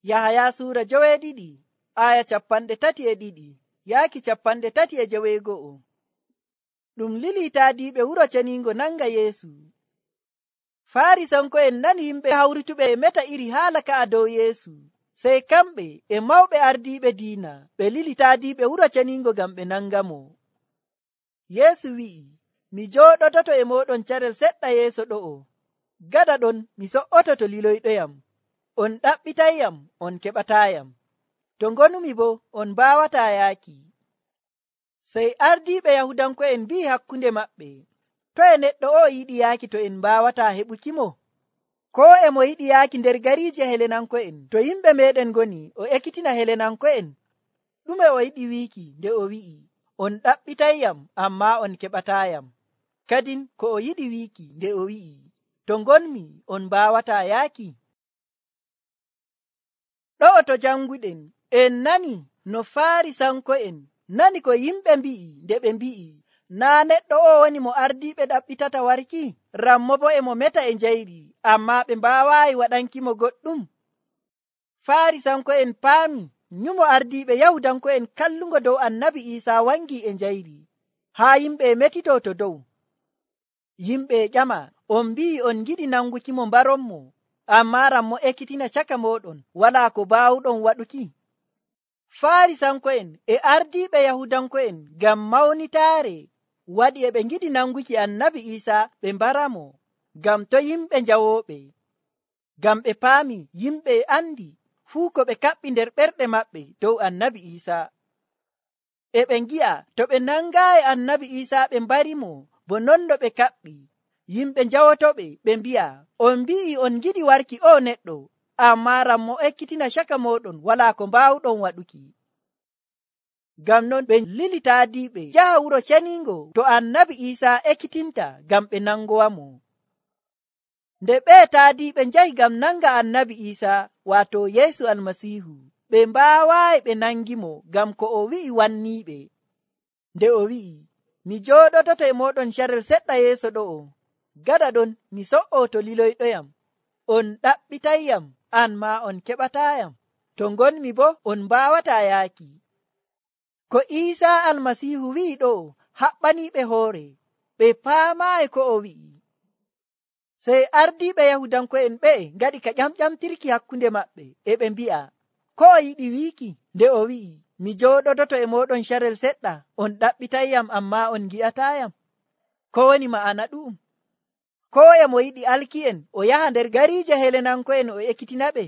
Yahaya suura 12 aya 32 yaaki 32. Ɗum lili taadiɓe wuro ceniingo nanga Yeesu. Faarisanko'en nani yimɓe hawrituɓe e meta iri haala ka'a dow Yeesu. Sey kamɓe e mawɓe ardiiɓe diina ɓe lili taadiɓe wuro ceniingo ngam ɓe nangamo. Yeesu wi'i, mi jooɗototo e mooɗon carel seɗɗa yeeso ɗo'o. Gaɗa ɗon mi so''oto to liloyɗoyam. On ɗaɓɓitayyam, on keɓataayam. To ngonumi boo, on mbaawataa yaaki. Sey ardiiɓe Yahudanko'en mbi'i hakkunde maɓɓe, toye neɗɗo o yiɗi yaaki to en mbaawataa heɓukimo? Koo e mo yiɗi yaaki nder gariije Helenanko'en to yimɓe meeɗen ngoni o ekkitina Helenanko'en? Ɗume o yiɗi wiiki nde o wi'i, on ɗaɓɓitayyam ammaa on keɓataayam? Kadin ko o yiɗi wiiki nde o wi'i, to ngonmi on mbaawataa yaaki? Ɗo'o to janguɗen en nani no Faarisanko'en nani ko yimɓe mbi'i nde ɓe mbi'i, naa neɗɗo o woni mo ardiiɓe ɗaɓɓitata warki, rammo bo e mo meta e njayri, ammaa ɓe mbaawaayi waɗankimo goɗɗum. Faarisanko'en paami nyumo ardiiɓe Yahudanko'en kallungo dow Annabi Iisaa wangi e njayri, haa yimɓe metito to dow. Yimɓe ƴama, on mbi'i on giɗi nangukimo mbaronmo, ammaa rammo ekkitina caka mooɗon walaa ko baawuɗon waɗuki. Faarisanko'en e ardiiɓe Yahudanko'en ngam mawnitaare waɗi e ɓe ngiɗi nanguki Annabi Iisaa ɓe mbaramo, ngam to yimɓe njawooɓe. Ngam ɓe paami yimɓe andi fuu ko ɓe kaɓɓi nder ɓerɗe maɓɓe dow Annabi Iisaa. E ɓe ngi'a to ɓe nangaayi Annabi Iisaa ɓe mbarimo bo non no ɓe kaɓɓi, yimɓe njawotoɓe ɓe mbi'a, on mbi'i on giɗi warki o neɗɗo, ammaa rammo ekkitina caka mooɗon walaa ko mbaawuɗon waɗuki. Ngam non ɓe lili taadiɓe jaha wuro ceniingo to Annabi Iisaa ekkitinta ngam ɓe nangowamo. Nde ɓe taadiɓe njahi ngam nanga Annabi Iisaa waato Yeesu Almasiihu, ɓe mbaawaayi ɓe nangimo ngam ko o wi'i wanniiɓe. Nde o wi'i, mi jooɗototo e mooɗon carel seɗɗa yeeso ɗo'o. Gaɗa ɗon mi so''o to liloyɗoyam. On ɗaɓɓitayyam, an maa on keɓataayam. To ngonmi boo, on mbaawataa yaaki. Ko Iisaa Almasiihu wi'i ɗo'o haɓɓaniiɓe hoore, ɓe paamaayi ko o wi'i. Sey ardiiɓe Yahudanko'en ɓe'e ngaɗi ka ƴamƴamtirki hakkunde maɓɓe, e ɓe mbi'a, ko o yiɗi wiiki nde o wi'i, mi jooɗototo e mooɗon carel seɗɗa, on ɗaɓɓitayyam ammaa on ngi'ataayam? Ko woni ma'ana ɗu'um? Koo e mo yiɗi alki'en o yaha nder gariije Helenanko'en o ekkitinaɓe?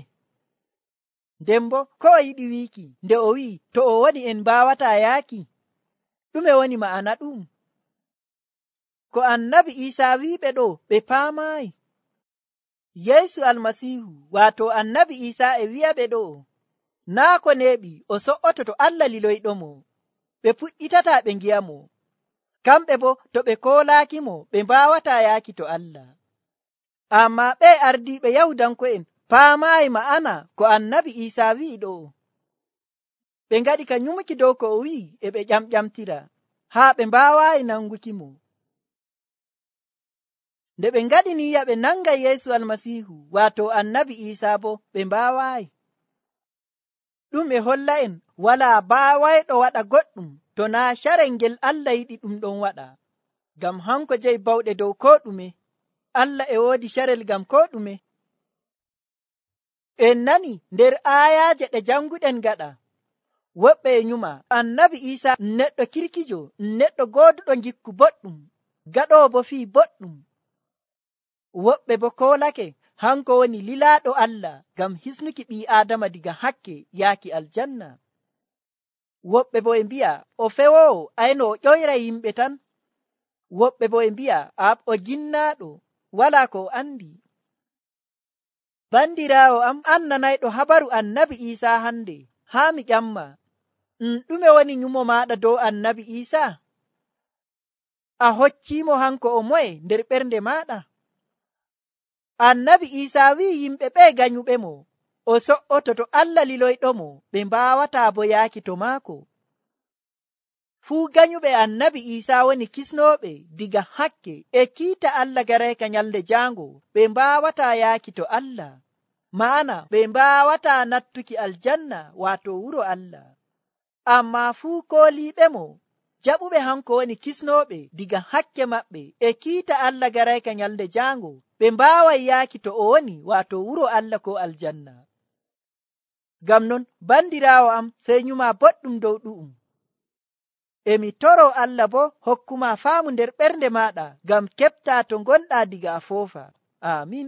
Nden bo ko o yiɗi wiiki nde o wi'i to o woni en mbaawataa yaaki? Ɗume woni ma'ana ɗu'um? Ko Annabi Iisaa wi'iɓe ɗo ɓe paamaayi. Yeesu Almasiihu waato Annabi Iisaa e wi'aɓe ɗo, naa ko neeɓi o so''oto to Allah liloyɗomo, ɓe puɗɗitataa ɓe ngi'amo. Kamɓe bo to ɓe koolaakimo ɓe mbaawataa yaaki to Allah. Ammaa ɓe ardiiɓe Yahudanko'en paamaayi ma'ana ko Annabi Iisaa wi'i ɗo. Ɓe ngaɗi ka nyumuki dow ko o wi'i e ɓe ƴamƴamtira, haa ɓe mbaawaayi nangukimo. Nde ɓe ngaɗi niyya ɓe nanga Yeesu Almasiihu waato Annabi Iisaa bo ɓe mbaawaayi. Ɗum e holla en walaa baawayɗo waɗa goɗɗum to naa carel ngel Allah yiɗi ɗum ɗon waɗa. Ngam hanko jeyi bawɗe dow koo ɗume. Allah e woodi carel ngam koo ɗume. En nani nder aayaaje ɗe janguɗen gaɗa, woɓɓe e nyuma Annabi Iisaa neɗɗo kirkijo, neɗɗo gooduɗo ngikku boɗɗum, gaɗoowo bo fii boɗɗum. Woɓɓe bo koolake hanko woni lilaaɗo Allah ngam hisnuki ɓii Aadama diga hakke yaaki aljanna. Woɓɓe bo e mbi'a o fewoowo ayno o ƴoyra yimɓe tan. Woɓɓe bo e mbi'a o jinnaaɗo walaa ko o andi. Bandiraawo am annanayɗo habaru Annabi Iisaa hande, haa mi ƴamma, ɗume woni nyumo maaɗa dow Annabi Iisaa? A hocciimo hanko o moye nder ɓernde maaɗa? Annabi Iisaa wi'i yimɓe ɓe ganyuɓemo o so''oto to Allah liloyɗomo, ɓe mbaawataa bo yaaki to maako. Fuu ganyuɓe Annabi Iisaa woni kisnooɓe diga hakke e kiita Allah garayka nyalde jaango, ɓe mbaawataa yaaki to Allah. ma'ana ɓe mbawata nattuki aljanna wato wuro Allah. Amma fuu kooliɓemo jaɓuɓe hanko woni kisnoɓe diga hakke maɓɓe e kiita Allah garayka nyalde jango, ɓe mbawai yaaki to o woni wato wuro Allah ko aljanna. Ngam non bandirawo am, sey nyuma boɗɗum dow ɗu'um. Emi toro Allah bo hokkuma faamu nder ɓernde maɗa ngam keɓta to gonɗa diga a foofa. Amin.